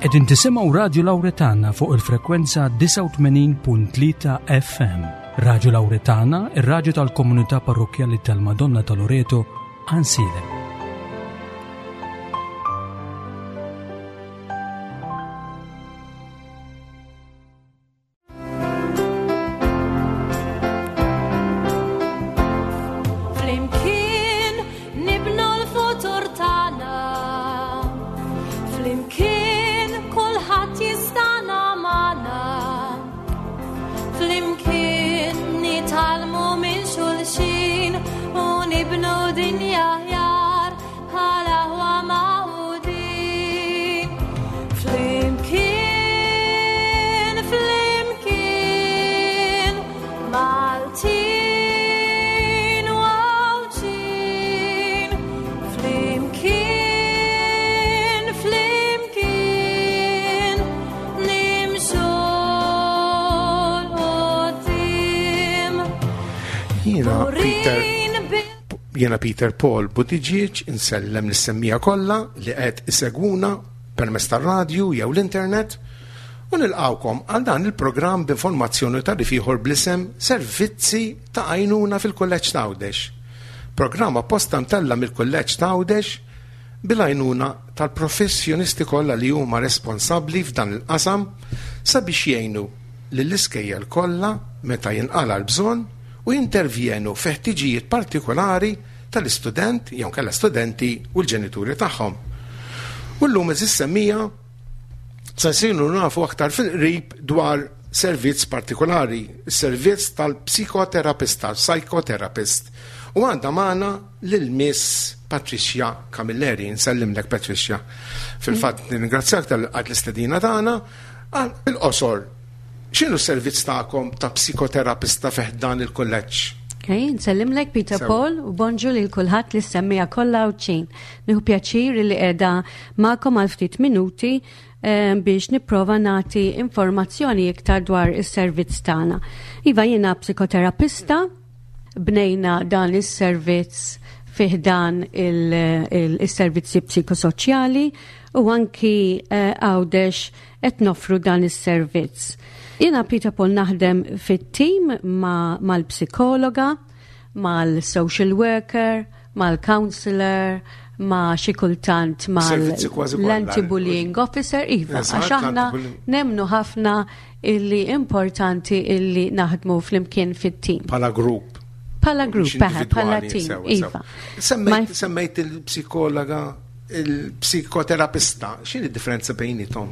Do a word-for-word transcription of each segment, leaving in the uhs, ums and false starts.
Qegħdin tisimgħu Radio Lauretana fuq il-frekwenza disgħa u tmenin punt tlieta F M. Radio Lauretana, ir-radju tal-komunità parrokjali tal-Madonna ta' Loreto, Għajnsielem. Flimkien nibnu l-futur tagħna. Flimkien kulħadd jistana magħna. Flimkien nitgħallmu minn xulxin u nibnu dinja aħjar bħala aħwa magħqudin. Flimkien, flimkien, Maltin u Għawdxin. Flimkien, flimkien, nimxu 'l quddiem. Jiena Peter Burin bil- Jiena Peter Paul Buttigieg insellem lis-semmiegħa kollha li qed isegwuna permezz tar-radju jew l-internet u nilqawkom għal dan il-programm b'informazzjoni ta' ieħor bl-isem Servizzi ta' Għajnuna fil-Kulleġġ t'Għawdex. Programm apposta mtella' mill-Kulleġġ t'Għawdex bil-għajnuna tal-professjonisti kollha li huma responsabbli f'dan il-qasam sabiex jgħinu lill-iskejjel kollha meta jinqala l-bżonn u jintervjenu fi ħtiġijiet partikolari tal-istudent jew kella studenti u l-ġenituri tagħhom. U llum, għeżież semmiegħa, se nsiru nafu aktar fil-qrib dwar servizz partikolari, servizz tal-psikoterapista, psychotherapist. U għandna magħna lil Miss Patricia Camilleri. Nsellimlek, Patricia. Fil-fatt nirringrazzjak tal-għad l-istedina tagħna. Għal il-qosor, x'inhu s-servizz tagħkom ta' psikoterapista fi ħdan il-kulleġġ? Ok, nsellimlek, Peter Sewa. Paul, u bonġu lil kulħadd li semmiegħa kollha Għawdxin. Nieħu pjaċir li qiegħda magħkom għal ftit minuti eh, biex nipprova nagħti informazzjoni iktar dwar is-servizz tagħna. Iva, jiena psikoterapista, bnejna dan is-servizz fi ħdan il-servizzi psikosoċjali u anki eh, Għawdex qed noffru dan is-servizz. Jiena, Peter Paul, naħdem fit-tim ma' mal-psikologa, mal-social worker, mal-counselor, ma' xi kultant Servizzi kważi kollha. mal-anti-bullying officer, iva, Eżatt, għax aħna l-anti-bullying. nemnu ħafna illi importanti illi naħdmu flimkien fit-tim. Bħala grupp. Bħala grupp, Mhux eħe, bħala individwali, tim, sewa, iva. sewa. Semmejt Ma- semmejt il-psikologa, il-psikoterapista, x'inhi differenza bejniethom?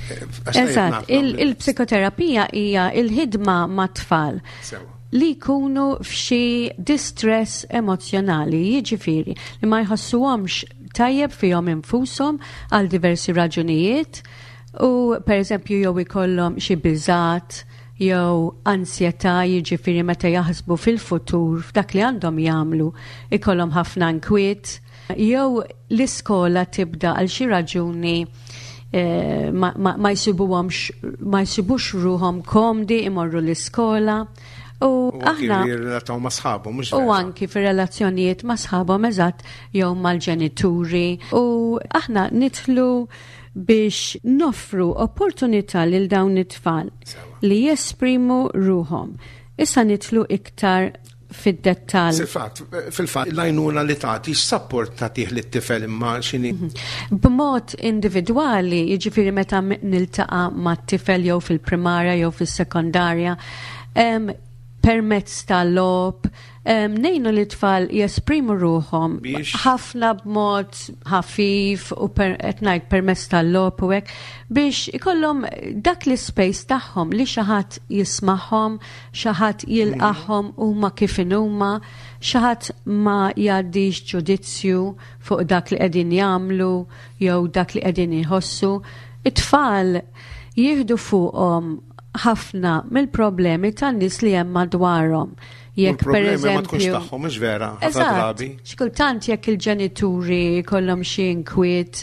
Eh, għax tajjeb Eżatt, nafu il- għamlu. il-psikoterapija hija il-ħidma ma' tfal Sewa. li jkunu f'xi distress emozjonali, jiġifieri li ma jħossuhomx tajjeb fihom infushom għal diversi raġunijiet u per eżempju jew ikollhom xi biżat jew ansjetà, jiġifieri meta jaħsbu fil-futur f'dak li għandhom jagħmlu ikollhom ħafna nkwiet, jew l-iskola tibda għal xi raġuni eh, ma, ma, ma jsibuhomx ma jsibux ruhom komdi imorru l-iskola u U anki aħna jirrelataw ma' sħabhom, mhux u vera? anki fir-relazzjonijiet ma' sħabhom, eżatt, jew mal-ġenituri, u aħna nidħlu biex noffru opportunità lil dawn it-tfal Sewa. li jesprimu ruhom. Issa nidħlu iktar fid-dettall. Fil-fatt, fil-fatt, l-għajnuna li tagħti, x'sapport tagħtih lit-tifel, imma x'inhi? B'mod individwali, jiġifieri meta m- niltaqa' ma' tifel jew fil-primarja jew fis-sekondarja, em, permezz tal-logħob, em, ngħinu li tfal jesprimu ruhom Biex? ħafna b'mod ħafif u per, qed ngħid permezz tal-logħob u hekk biex ikollhom dak l-space tagħhom li xi ħadd jismagħhom, xi ħadd jilqahom huma kif inhuma, xi ħadd ma jgħaddix ġudizzju fuq dak li qegħdin jagħmlu jew dak li qegħdin jħossu. It-tfal jieħdu fuqhom ħafna mill-problemi tan-nies li hemm madwarhom. Jekk per U l-problemi ma tkunx eżempju tagħhom, mhux vera, ħafna Eżatt, drabi. xi kultant jekk il-ġenituri kollhom xi inkwiet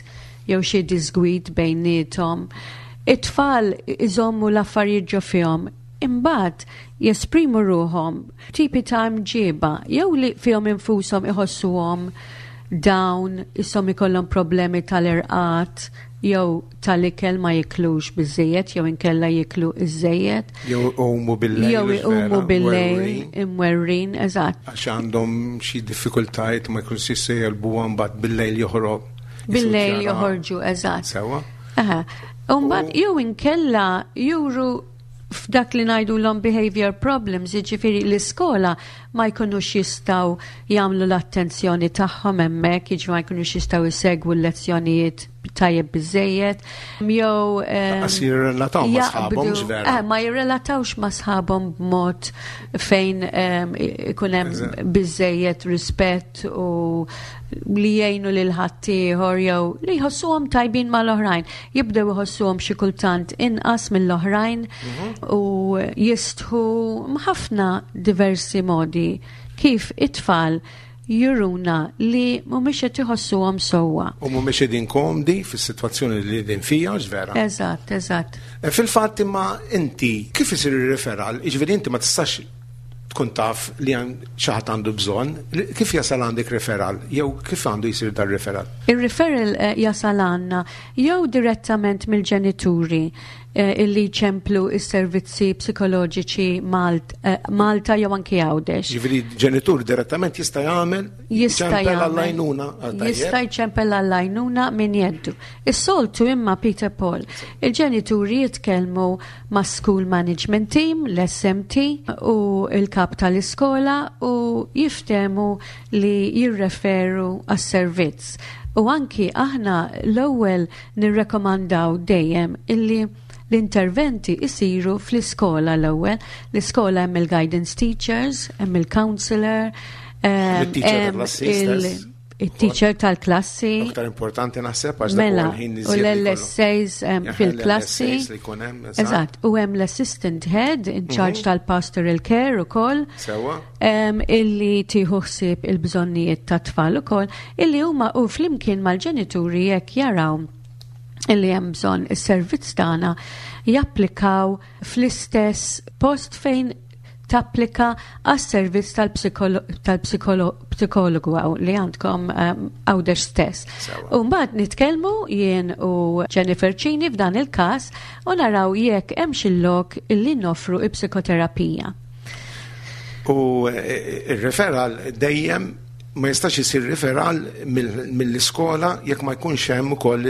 jew xi disgwid bejniethom, it-tfal iżommu l-affarijiet ġo fihom. Imbagħad jesprimu ruhom tipi ta' mġiba jew li fihom infushom iħossuhom down, isom ikollhom problemi tal-irqad, jew tal-ikel ma jiklux biżejjed jew inkella jiklu iżejjed. Jew iqumu bil-lejl. Jew iqumu bil-lejl imwerwrin. Imwerwrin, eżatt. Għax għandhom xi diffikultajiet ma jkunx jistgħu jegħlbuha, mbagħad bil-lejl joħroq. Bil-lejl joħorġu, eżatt. Sewwa. Aha. U mbagħad jew inkella juru f'dak li ngħidu l behavior problems, jiġifieri l-iskola ma jkunux jistgħu jagħmlu l-attenzjoni tagħhom hemmhekk, jiġifieri ma jkunux jistgħu jsegwu l-lezzjonijiet tajjeb biżejjed, jew ehm, Lanqas jirrelataw ma' sħabhom, jaqbdu- x'vera. Eh, ma jirrelatawx ma' sħabhom b'mod fejn ehm, ikun hemm Eżatt. biżejjed rispett u li jgħinu lil ħaddieħor jew li jħossuhom tajbin mal-oħrajn. Jibdew iħossuhom xi kultant inqas mill-oħrajn u jistħu ħafna diversi modi kif it-tfal juruna li mhumiex qed iħossuhom sewwa. U mhumiex qegħdin komdi fis-sitwazzjoni li qegħdin fija, x'vera. Eżatt, eżatt. E Fil-fatt imma inti kif isir ir-referral, jiġifieri inti ma tistax tkun taf li għan xi ħadd għandu bżonn, li- kif jasal għandek referral jew kif għandu jsir dar referral? Il-referral eh, jasal għandna jew direttament mill-ġenituri eh, illi ċemplu is-servizzi psikoloġiċi Malt, eh, Malta jew anki Għawdex. Ġifieri ġenitur direttament jista' jagħmel Jista' jċempel jagħmel. għall-għajnuna. Jista' jċempel għall-għajnuna minn jeddu. Is-soltu imma, Peter Paul, il-ġenituri jitkellmu ma' School Management Team, l-S M T, u il-kap tal-iskola u jiftemu li jirreferu għas-servizz. U anki aħna l-ewwel nirrekomandaw dejjem illi l-interventi isiru fl-iskola l-ewwel. L-iskola hemm il-guidance teachers, hemm il-counselor, ehm, Il-teacher hemm tal-klassi stess. il- il-teacher tal-klassi. Aktar importanti naħseb għax dak Mela, huwa l-ħin u iżjed li jkollu. l-L S As um, Jaħ, fil-klassi. l-L S As li jkun hemm, eżatt. Eżatt, u hemm l-assistant head in charge tal-pastoral care ukoll. Sewwa. um, illi tieħu ħsieb il-bżonnijiet ta' tfal ukoll, illi huma u flimkien mal-ġenituri jekk jaraw illi hemm bżonn is-servizz tagħna japplikaw fl-istess post fejn tapplika għas-servizz tal-psikologu li għandkom um, Għawdex stess. Sewwa. U mbagħad nitkellmu jien u Jennifer Cini f'dan il-każ u naraw jekk hemm xi lok illi noffru il-psikoterapija. U eh, il-referral dejjem ma jistax isir referral mill- mill-iskola jekk ma jkunx hemm ukoll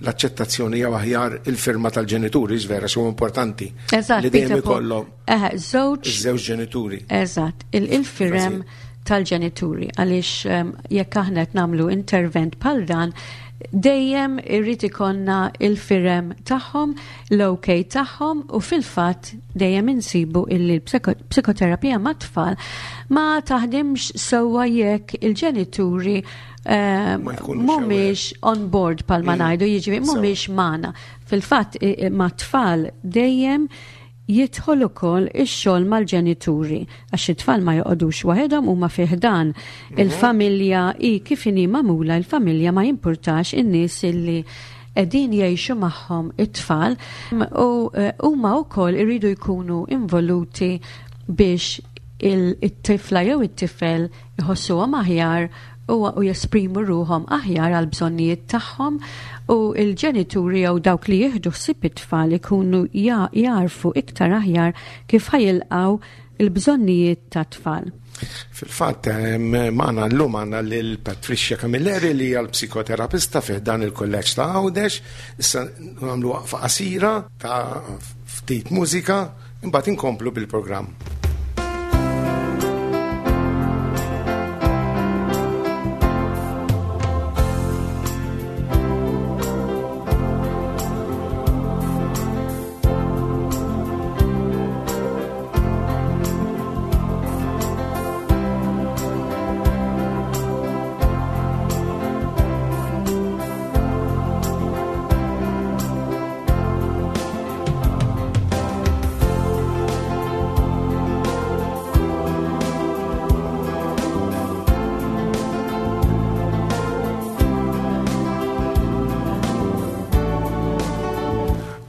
l-aċċettazzjoni jew aħjar il-firma tal-ġenituri, vera xi importanti. Eżatt, Li dejjem Peter Paul. ikollhom Eh, żewġ iż-żewġ ġenituri. Eżatt, il- il-firem tal-ġenituri għaliex um, jekk aħna qed nagħmlu intervent bħal dan, dejjem irrid ikollna il-firem tagħhom, l-OK tagħhom, u fil-fatt dejjem insibu illi l-psikoterapija mat-tfal ma taħdimx sewwa jekk il-ġenituri um, Ma jkunux mhumiex on board palma Mm. ngħidu, jiġifieri Sewwa. mhumiex magħna. Fil-fatt i- i- mat-tfal dejjem jidħol ukoll ix-xogħol mal-ġenituri għax it-tfal ma joqogħdux waħedhom, huma fih dan il-familja i kif inhi magħmula il-familja, ma jimpurtax in-nies illi qegħdin jgħixu magħhom it-tfal u eh, huma wkoll iridu jkunu involuti biex il- it-tifla jew it-tifel iħossuhom aħjar u, u jesprimu ruhom aħjar għal bżonnijiet tagħhom u il-ġenituri jew dawk li jieħdu ħsieb it-tfal ikunu ja- jarfu iktar aħjar kif ħa jilqgħu il-bżonnijiet ta' tfal. Fil-fatt, em, magħna llum għandna lil Patricia Camilleri li hija l-psikoterapista fih dan il-kolleġġ ta' Għawdex. Issa nagħmlu waqfa qasira ta' ftit mużika, imbagħad inkomplu bil-programm.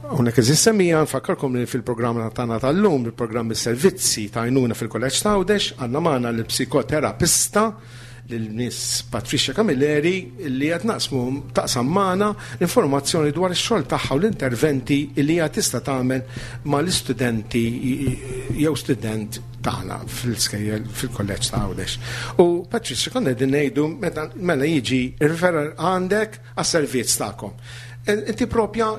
Hawnhekk, għeżież semmiegħa, nfakkarkom li fil-programm tagħna tal-lum, il-programm is-servizzi ta' għajnuna fil-Kolleġġ ta' Għawdex, għandna magħna l-psikoterapista lil Miss Patricia Camilleri li qed naqsmu taqsam magħna l-informazzjoni dwar ix-xogħol tagħha u l-interventi li hija tista' tagħmel mal-istudenti jew student tagħna fil-skejjel fil-kolleġġ ta' Għawdex. U Patricia, konna qegħdin ngħidu meta mela jiġi referral għandek għas-servizz tagħkom. Inti propja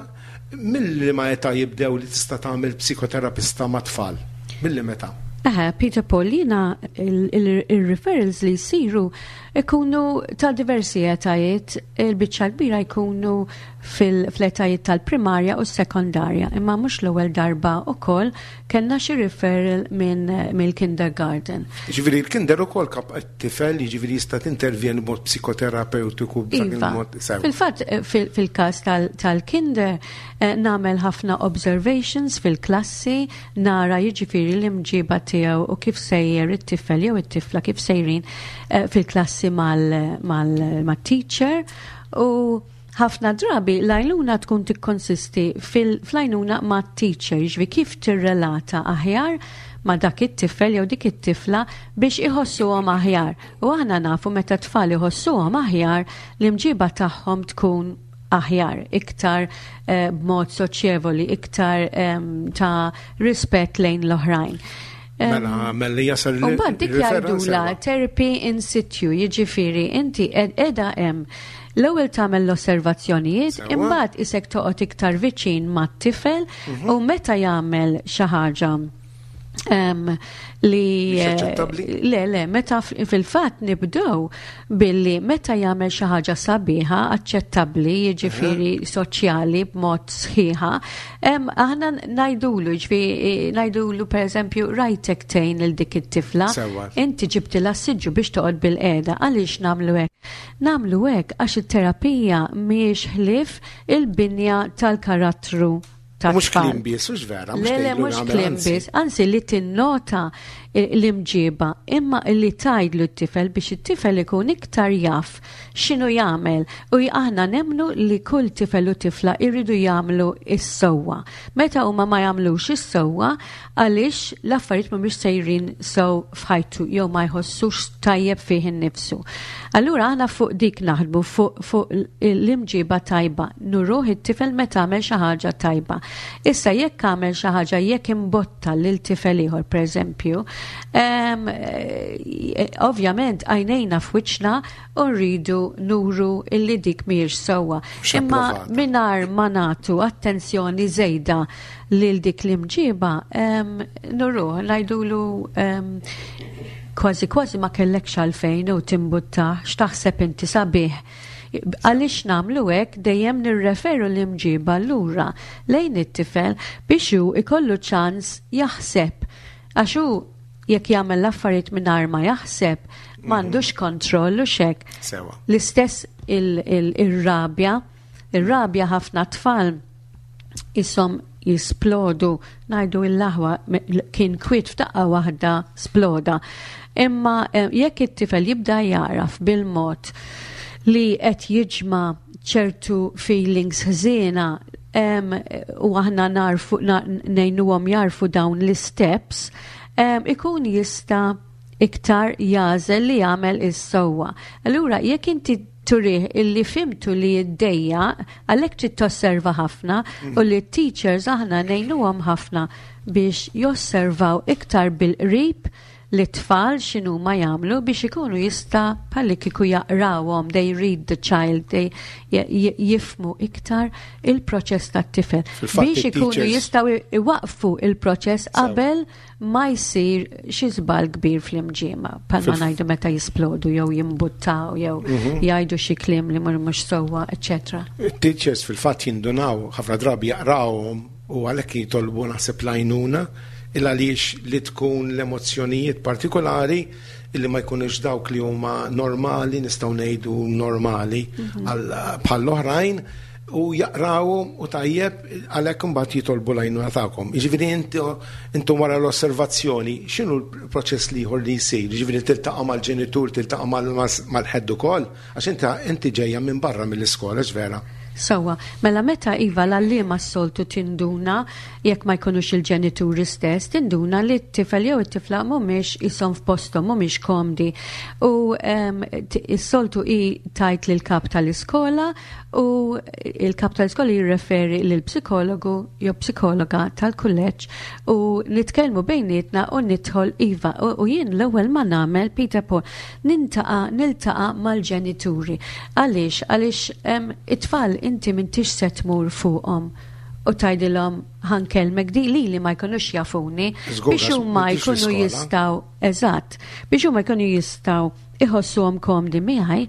milli ma età jibdew li tista' tagħmel psikoterapista ma' tfal? Milli meta? Aha, Peter Paul, jiena il-referrals li jsiru ikunu ta' diversi etajiet, il-biċċa kbira jkunu fil-etajiet tal-primarja u s-sekondarja, imma mhux l-ewwel darba ukoll kellna xi referral minn mill-kindergarten. Ġifieri l-kinder ukoll kap tifel, jiġifieri jista' tintervjeni b'mod psikoterapeutiku b'dak Iva. il-mod sew. Fil-fatt, eh, fil- fil-każ tal-kinder, eh, nagħmel ħafna observations fil-klassi, nara jiġifieri l-imġiba tiegħu u kif sejjer it-tifel jew it-tifla, kif sejrin eh, fil-klassi mal-teacher, u ħafna drabi l-għajnuna tkun tikkonsisti fil-għajnuna ma' teacher, jiġifieri kif tirrelata aħjar ma' dak it-tifel jew dik it-tifla biex iħossuhom aħjar. U aħna nafu meta tfal iħossuhom aħjar, l-imġiba tagħhom tkun aħjar, iktar eh, b'mod soċjevoli, iktar em, ta' rispett lejn l-oħrajn. Em, Mela, mela jasal U mbagħad dik il-referral jgħidula sewa. therapy in situ, jiġifieri inti ed- edha hemm l-ewwel tagħmel l-osservazzjonijiet, Sewa. imbagħad isek toqgħod iktar viċin mat-tifel u meta jagħmel xi ħaġa em, li Mhix aċċettabbli? Le, le, meta f- fil-fatt nibdew billi meta jagħmel xi ħaġa sabiħa, aċċettabbli, jiġifieri soċjali b'mod sħiħa, em, aħna ngħidulu, jiġifieri ngħidulu pereżempju, "Rajtek tgħin lil dik it-tifla, Sewa. inti ġibtilha siġġu biex toqgħod bil-qiegħda." Għaliex nagħmlu hekk? Nagħmlu hekk għax it-terapija mhijiex ħlief il-binja tal-karattru ta' Mhux tfal. kliem biss, hux vera, mhux Le, le, tgħidlu mhux nagħmel, kliem anzi. biss, anzi li tinnota l-imġiba, imma li tgħidlu t-tifel biex it-tifel ikun iktar jaf x'inhu jagħmel, u aħna nemmnu li kull tifel u tifla irridu jagħmlu is-sewwa. Meta huma ma jagħmlux is-sewwa, għaliex l-affarijiet mhumiex sejrin sew f'ħajtu jew ma jħossux tajjeb fih innifsu. Allura aħna fuq dik naħdmu, fuq fu l-imġiba tajba, nuruh it-tifel meta għamel xi ħaġa tajba. Issa jekk għamel xi ħaġa, jekk imbotta lil tifel ieħor, pereżempju, em, eh, ovvjament għajnejna f'wiċċna u rridu nuru illi dik mhijiex sewwa. Mhux Imma approvata. mingħajr ma nagħtu attenzjoni żejda lil dik l-imġiba, em, nuruh, ngħidulu em, kważi kważi ma kellekx għalfejn u timbutta, x'taħseb inti sabiħ. Għaliex nagħmlu hekk? Dejjem nirreferu l-imġiba lura lejn it-tifel biex hu ikollu ċans jaħseb. Għax hu jekk jagħmel l-affarijiet mingħajr ma jaħseb, m'għandux kontroll u xek. Sewa. L-istess il-rabja, il-rabja, ħafna tfal isom jisplodu, ngħidu l-aħwa kien kwiet, f'daqqa waħda sploda. Imma eh, jekk it-tifel jibda jaraf bil-mod li qed jiġma ċertu feelings ħżiena em, u aħna narfu na- ngħinuhom jarfu dawn l-steps, em, ikun jista' iktar jagħżel li jagħmel is-sewwa. Allura jekk inti turih illi fhimtu li jiddejjaq, għalhekk trid tosserva ħafna, u li teachers aħna ngħinuhom ħafna biex josservaw iktar bil-qrib li tfal x'inhu ma jagħmlu biex ikunu jista' bħalli kieku jaqrawhom, they read the child, they jifhmu iktar il-proċess tat-tifel Fil-fatt biex ikunu il-teachers- jistgħu iwaqfu il-proċess Sew. qabel ma jsir xi żball kbir fl-imġiema, bħalma Fil- ngħidu meta jisplodu jew jimbuttaw jew Mhm. jgħidu xi kliem li mhux mhux sewwa, eċċetera. Teachers fil-fatt jindunaw, ħafna drabi jaqrawhom u għalhekk jitolbu naħseb l-għajnuna, il għaliex li tkun l-emozzjonijiet partikolari illi ma jkunux dawk li huma normali, nistgħu ngħidu normali għal bħall-oħrajn, u jaqrawhom u tajjeb, għalhekk imbagħad jitolbu l-għajnuna tagħkom. Jiġifieri intu intom wara l-osservazzjoni, x'inhu l-proċess l-ieħor li jsir? Jiġifieri tiltaqa' mal-ġenitur, tiltaqa' mal-head ukoll, għax inta inti ġejja minn barra mill-iskola, vera? Sewwa, mela meta iva l-għalliema s-soltu tinduna, jekk ma jkunux il-ġenituri stess, tinduna li t-tifel jew it-tifla mhumiex jisom f'posthom, mhumiex komdi. U em, t- s-soltu i tgħid lil kap tal-iskola u il-kap tal-iskola jirreferi lil psikologu jew psikologa tal-kulleġġ u nitkellmu bejnietna u nidħol iva. U, u jien l-ewwel ma nagħmel, Peter Paul, nintaqa' niltaqa' mal-ġenituri. Għaliex? Għaliex em, it-tfal inti m'intix se tmur fuqhom u tgħidilhom "ħa nkellmek" di li li ma jkunux jafuni Żgur, biex għax huma m'intix jkunu fl-iskola. jistgħu, eżatt, biex huma jkunu jistgħu iħossuhom komdi miegħi.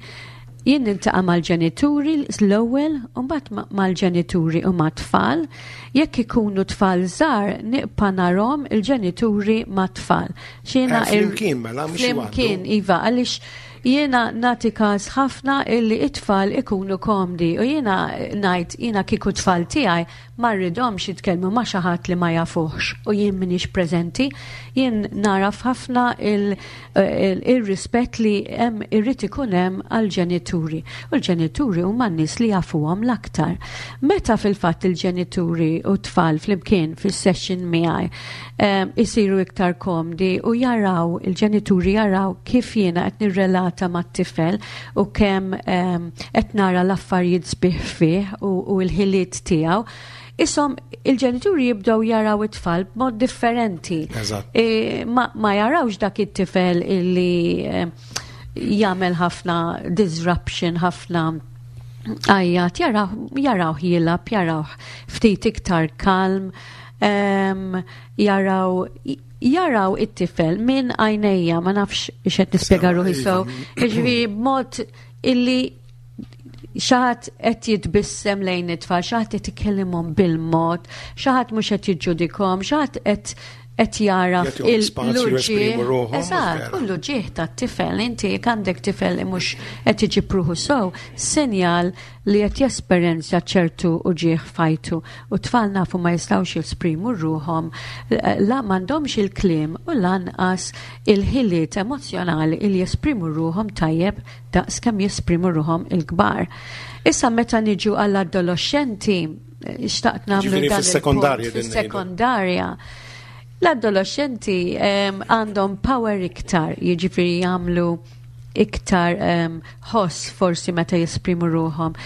Jien niltaqa' mal-ġenituri l-ewwel u mbagħad ma- mal-ġenituri u mat-tfal. Jekk ikunu tfal żgħar, nibqa' narahom il-ġenituri mat-tfal. X'jiena Eh, flimkien mela, mhux Flimkien, waħdu. iva, għaliex jiena nagħti każ ħafna illi it-tfal ikunu komdi u jiena ngħid, jiena kieku tfal tiegħi ma rridhomx jitkellmu ma' xi ħadd li ma jafuhx u jien m'iniex preżenti. Jien naraf ħafna il- il- il-rispett li hemm irrid ikun hemm għall-ġenituri. U l-ġenituri huma n-nies li jafuhom l-aktar. Meta fil-fatt il-ġenituri u tfal flimkien fis-session miegħi em, isiru iktar komdi u jaraw, il-ġenituri jaraw kif jiena qed nirrelata mat-tifel u kemm em, qed nara l-affarijiet sbieħ fih u, u l-ħiliet tiegħu. Isom il-ġenituri jibdew jaraw it-tfal b'mod differenti. Eżatt. E, ma, ma jarawx dak it-tifel illi eh, jagħmel ħafna disruption, ħafna għajjat, jaraw, jaraw jilgħab, jaraw ftit iktar kalm, em, jaraw jaraw it-tifel minn għajnejja, ma nafx x'qed nispjega Sewa, ruħi iva. so, jiġifieri b'mod illi xi ħadd qed jitbissem lejn it-tfal, xi ħadd qed ikellimhom bil-mod, xi ħadd mhux qed jiġġudikahom, xi ħadd qed qed jaraf Jagħtihom spazju jesprimu ruħhom, Eżatt, vera. u l-uġigħ tat-tifel, inti jekk għandek tifel li mhux qed iġib ruħu sew, sinjal li qed jesperjenza ċertu uġigħ f'ħajtu. U tfal nafu ma jistgħux jesprimu ruħhom, la m'għandhomx il-kliem u lanqas il-ħiliet emozjonali li jesprimu ruħhom tajjeb daqs kemm jesprimu ruħhom il-kbar. Issa meta niġu għall-adolescenti, xtaqt nagħmlu Ġifieri dan fis-sekondarja il-punt, din ngħidu. fis-sekondarja. L-adolescenti em, għandhom power iktar, jiġifieri jagħmlu iktar em, ħoss forsi meta jesprimu ruħhom.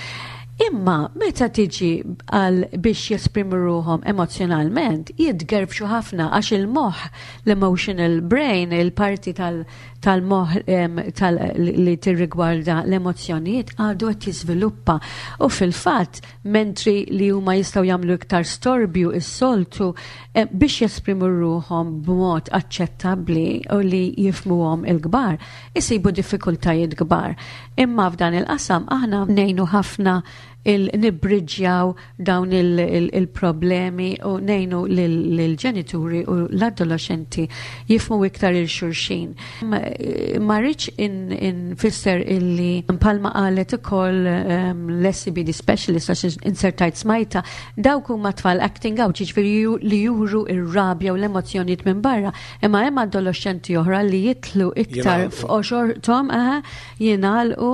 Imma meta tiġi għal biex jesprimu ruħhom emozjonalment, jitgerbxu ħafna għax il-moħħ, l-emotional brain, il-parti tal- tal-moħħ em, tal li tirrigwarda l-emozjonijiet għadu qed jiżviluppa. U fil-fatt, mentri li huma jistgħu jagħmlu iktar storbju is-soltu eh, biex jesprimu ruħhom b'mod aċċettabbli u li jifmuhom il-kbar, isibu diffikultajiet kbar. Imma f'dan il-qasam aħna ngħinu ħafna il-nibriġjaw dawn il-problemi u ngħinu lill-ġenituri u l-adolescenti jifhmu iktar lil xulxin. Ma rridx infisser illi bħalma qalet ukoll um, l-S E B D specialist, għax insertajt smajta, dawk huma tfal acting out, jiġifieri ju- li juru ir-rabja u l-emozzjonijiet minn barra, imma hemm adolescenti oħra li jidħlu iktar Jingħalqu. f'qoxorthom, aha, jingħalqu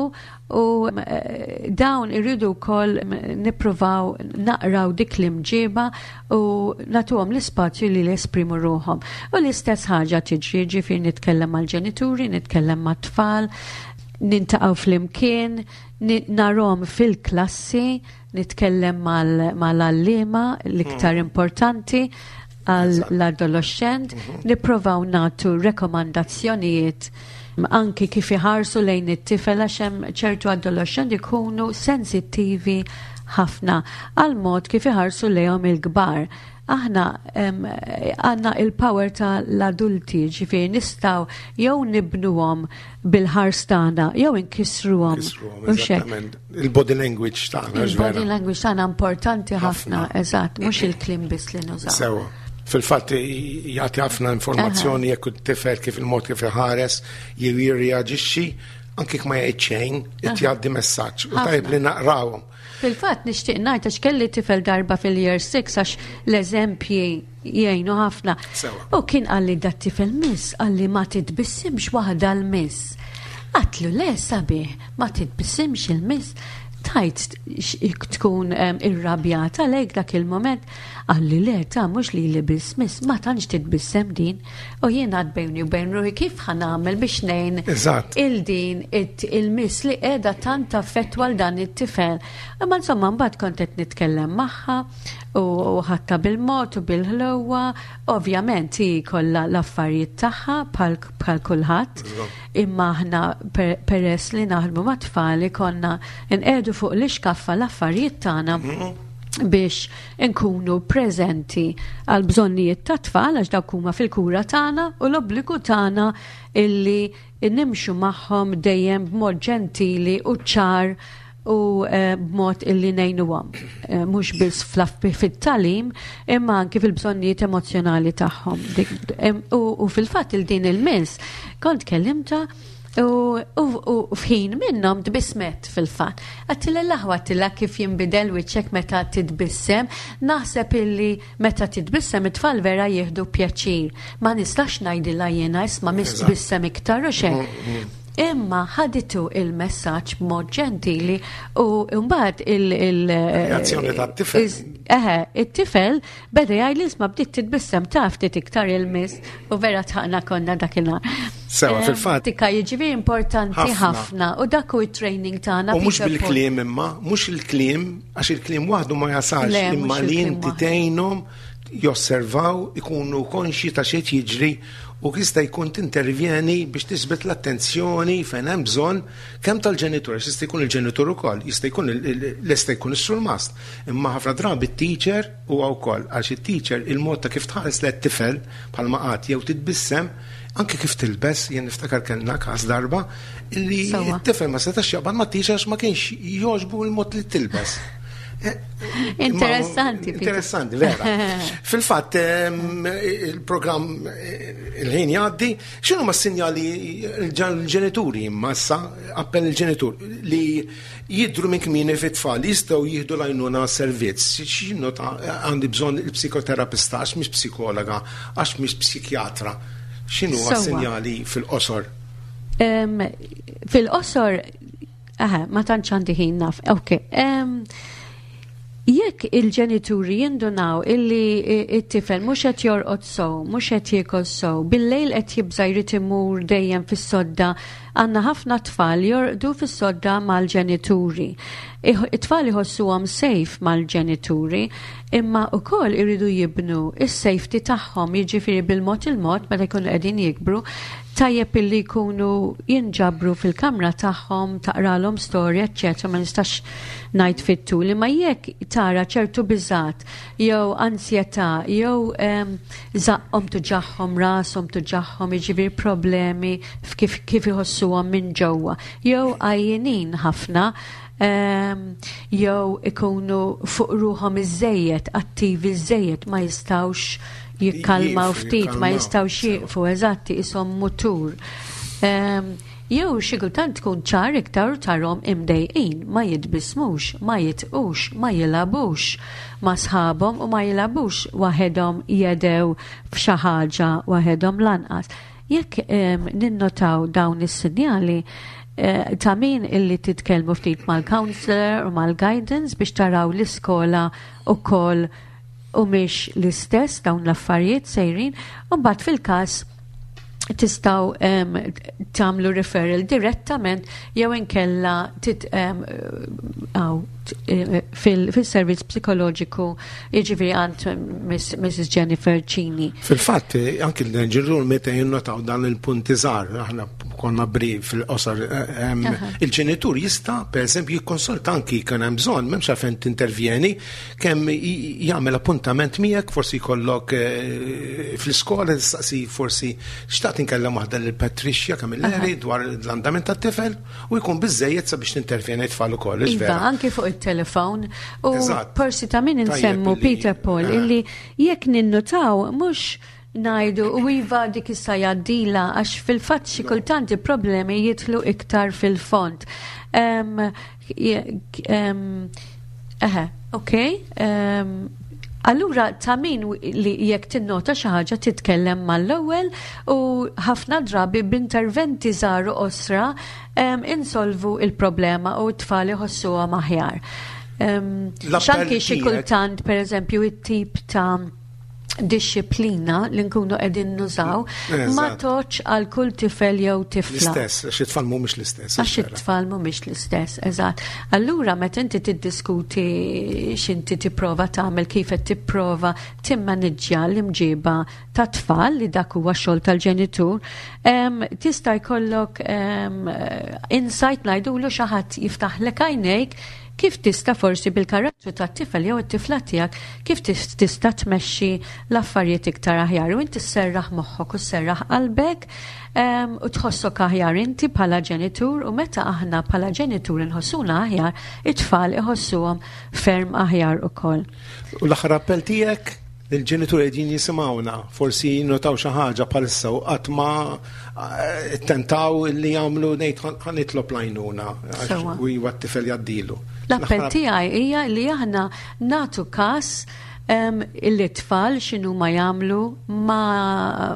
u eh, dawn irridu wkoll nippruvaw naqraw dik l-imġiba u nagħtuhom l-ispazju li jesprimu ruħhom. U l-istess ħaġa tiġri, ġifieri nitkellem mal-ġenituri, nitkellem mat-tfal, niltaqgħu flimkien, ni- narahom fil-klassi, nitkellem mal- mal-għalliema l-iktar importanti għall-adolescent, nipprovaw nagħtu rekomandazzjonijiet anki kif iħarsu lejn it-tifel għax hemm ċertu adolescent ikunu sensittivi ħafna għal mod kif iħarsu lejhom il-kbar. Aħna em, għandna il-power ta' l-adulti, ġifieri nistgħu jew nibnuhom bil-ħars tagħna jew inkissruhom. Kisruhom, U xek. eżattament. Il-body language tagħna, Il-body vera. language tagħna importanti ħafna, Ħafna. eżatt, mhux il-kliem biss li nużaw. Sewa. Fil-fatt jagħti ħafna informazzjoni jekk it-tifel kif il-mod kif iħares jew jirreaġixxi, anke jekk ma jgħid xejn, qed jgħaddi messaġġ. U Ħafna. tajjeb li naqrawhom. Fil-fatt nixtieq ngħid għax kelli tifel darba fil-year six, għax l-eżempji jgħinu ħafna. Sewa. U kien qalli dat-tifel, "Miss," qalli, "ma titbissimx waħda l-miss." Għedtlu, "Le sabiħ, ma titbissimx il-miss." Tajt tkun irrabjata lejk dak il-moment, għalli le ta' mhux li li biss miss, ma tantx titbissem din, u jien għad bejni u bejn ruħi kif ħa nagħmel biex ngħin il-din il-miss li qiegħda tant affettwa l dan it-tifel. Imma insomma mbagħad kont qed nitkellem magħha u ħatta bil-mod u bil-ħlewwa, ovvjament hi kollha l-affarijiet tagħha bħal kulħadd, imma aħna peress li naħdmu ma' tfal konna nqiegħdu fuq l-ixkaffa l-affarijiet tagħna biex nkunu preżenti għal bżonnijiet ta' tfal għax dawk huma fil-kura tagħna u l-obbligu tagħna illi nimxu magħhom dejjem b'mod ġentili u ċar u b'mod illi ngħinuhom, mhux biss fit-talim imma anki fil-bżonnijiet emozzjonali tagħhom. U fil-fatt il din il-miss kont kellimta u f'ħin minnhom tbissmet fil-fatt. Għedtilha l-aħwa għedtilha kif jinbidel wiċċek meta titbissem, naħseb illi meta titbissem it-tfal vera jieħdu pjaċir. Ma nistax ngħidilha jiena isma' miss tbissem iktar u xejn. Imma ħaditu il-messaġġ b'mod ġentili u mbagħad il- Reazzjoni tat-tifel. Eħe, it-tifel beda jgħid li isma' bdiet titbissem taf ftit iktar il-miss u vera tħaqna konna dakinhar. Sewa, fil-fatt. Tika jiġifieri importanti ħafna u dak hu it-training tagħna. U mhux bil-kliem imma, mhux il-kliem, għax il-kliem waħdu ma jasalx, imma li inti tgħinhom josservaw, ikunu konxi ta' xejn jiġri u jista' jkun tintervjeni biex tisbet l-attenzjoni fejn hemm bżonn kemm tal-ġenitur, jista' jkun il-ġenitur ukoll, jista' jkun lesta jkun is-surmast. Imma ħafna drabi t-teacher huwa wkoll għax it-teacher il-mod ta' kif tħares lit-tifel bħalma qatt jew titbissem anke kif tilbes, jien niftakar kellna każ darba illi t-tifel ma setax jaqbad ma teacher għax ma kienx jogħġbu l-mod li tilbes. Interessanti. Interessanti, vera. Fil-fatt, il-programm il-ħin jgħaddi, x'inhu ma sinjali l-ġenituri imma issa appell il-ġenitur li jidru minn kmieni fit-tfal jistgħu jieħdu l-għajnuna servizz, x'inhu ta' għandi bżonn il-psikoterapista għax mhix psikologa, għax mhix psikjatra. X'inhu ma sinjali fil-qosor? Fil-qosor, aha, ma tantx għandi ħin naf. Ok. Jekk il-ġenituri jindunaw illi it-tifel mhux qed jorqod sew, mhux qed jiekol sew, bil-lejl qed jibża' jrid imur dejjem fis-sodda, għandna ħafna tfal jorqdu fis-sodda mal-ġenituri. It-tfal iħossuhom safe mal-ġenituri, imma wkoll iridu jibnu is-safety tagħhom, jiġifieri bil-mod il-mod meta jkunu qegħdin jikbru, tajjeb illi jkunu jinġabru fil-kamra tagħhom, taqralhom storja, eċċetera, ma nistax ngħid fit-tul, imma jekk tara ċertu biżat jew ansjetà jew żaqqhom tuġagħhom, rashom tuġagħhom, jiġifieri problemi kif kif iħossuhom minn ġewwa, jew għajjenin ħafna, jew ikunu fuq ruħhom iżejjed, attivi iżejjed, ma jistgħux jikkalmaw ftit, ma jistgħux jieqfu, eżatti, ishom mutur. Jew xi kultant tkun ċar iktar tarhom imdejqin, ma jitbismux, ma jitqux, ma jilagħbux ma sħabhom u ma jilagħbux waħedhom jedew f'xi ħaġa waħedhom lanqas. Jekk ninnotaw dawn is-sinjali, ta' min illi titkellmu ftit mal-counselor u mal-guidance biex taraw l-iskola ukoll u mhix l-istess dawn l-affarijiet sejrin, u mbagħad fil-każ tistgħu tagħmlu referral direttament jew inkella fil-servizz psikoloġiku, jiġifieri għand Missus Jennifer Cini. Fil-fatt, anki l-ġenituri meta jinnotaw dan il-punti żgħar, aħna konna brief fil-qosor, il-ġenitur jista' pereżempju jikkonsulta anki kien hemm bżonn, m'hemmx għalfejn tintervjeni, kemm jagħmel appuntament miegħek, forsi jkollok fl-iskola tistaqsi forsi xtaqt inkellem waħda lil Patricia Camilleri dwar l-andament tat-tifel u jkun biżejjed sabiex tintervjeni tfal ukoll, iva, anki fuq il-telefon. U forsi ta' min insemmu Peter Paul illi jekk ninnotaw mhux ngħidu u iva dik issa jgħaddila, għax fil-fatt xi kultant il-problemi jidħlu iktar fil-fond. Eħe, ok. Allura ta' min li jekk tinnota xi ħaġa titkellem mal-ewwel u ħafna drabi b'interventi żgħar u qosra em, insolvu il-problema u t-tfal iħossuhom aħjar. Em, L-appell X'anki xi tiegħek- kultant pereżempju it-tip ta' dixxiplina li nkunu qegħdin nużaw ma Eżatt. toċ għal kull tifel jew tifla. L-istess, għax it-tfal mhumiex l-istess. Għax it-tfal mhumiex l-istess, eżatt. Allura meta inti tiddiskuti x'inti tipprova tagħmel, kif qed tipprova timmaniġġja l-imġiba ta' tfal, li dak huwa xogħol tal-ġenitur, em, tista' jkollok em, insight, ngħidulu, xi ħadd jiftaħlek għajnejk kif tista' forsi bil-karattru tat-tifel jew it-tifla tiegħek kif tis- tista' tmexxi l-affarijiet iktar aħjar u inti sserraħ moħħok u sserraħ qalbek em, u tħossok aħjar inti bħala ġenitur, u meta aħna bħala ġenitur inħossuna aħjar, it-tfal iħossuhom ferm aħjar ukoll. U l-aħħar appell tiegħek lill-ġenituri qegħdin jisimgħuna, forsi jinnotaw xi ħaġa bħalissa u qatt ma eh, tentaw li jagħmlu, ngħid ħa nitlob l-għajnuna għax Sewwa. u iwa t-tifel jgħaddilu. L-appell L-aħħar- tiegħi hija li aħna nagħtu kas um, il-tfal x'inhu ma jagħmlu, ma,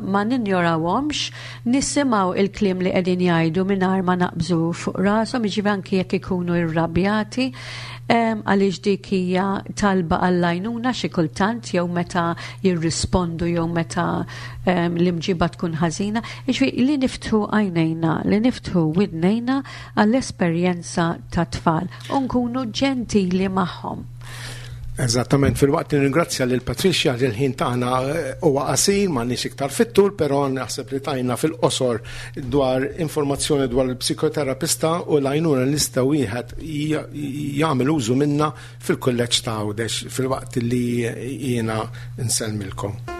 ma ninjorawhomx, nisimgħu il-kliem li qegħdin jgħidu mingħajr ma naqbżu fuq rashom, jiġifieri anki jekk ikunu irrabjati, um, għaliex dik hija talba għall-għajnuna xi kultant, jew meta jirrispondu jew meta um, l-imġiba tkun ħażina. Jiġifieri li niftħu għajnejna, li niftħu widnejna għall-esperjenza ta' tfal u nkunu ġentili magħhom. Eżattament, filwaqt li ringrazzja lil Patricia li l-ħin tagħna eh, huwa qasir, m'għandniex iktar fit-tul, però naħseb li tajna fil-qosor dwar informazzjoni dwar il-psikoterapista u l-għajnuna li nista' wieħed jagħmel użu minna fil-kulleġġ ta' Għawdex, filwaqt li jiena nsellmilkom.